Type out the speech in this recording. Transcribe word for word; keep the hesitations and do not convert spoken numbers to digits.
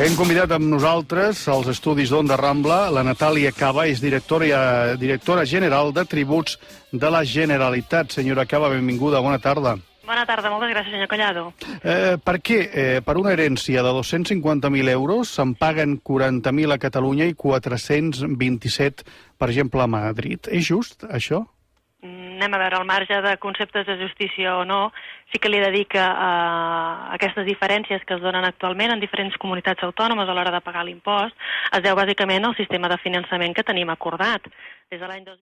Hem convidat amb nosaltres als estudis d'Onda Rambla la Natàlia Caba, és directora, directora general de tributs de la Generalitat. Senyora Caba, benvinguda, bona tarda. Bona tarda, moltes gràcies, senyor Collado. Eh, per què, eh, per una herència de dos-cents cinquanta mil euros, se'n paguen quaranta mil a Catalunya i quatre-cents vint-i-set, per exemple, a Madrid? És just, això? Anem a veure, al marge de conceptes de justícia o no, sí que li he de dir que eh, aquestes diferències que es donen actualment en diferents comunitats autònomes a l'hora de pagar l'impost es deu bàsicament al sistema de finançament que tenim acordat. Des de l'any dos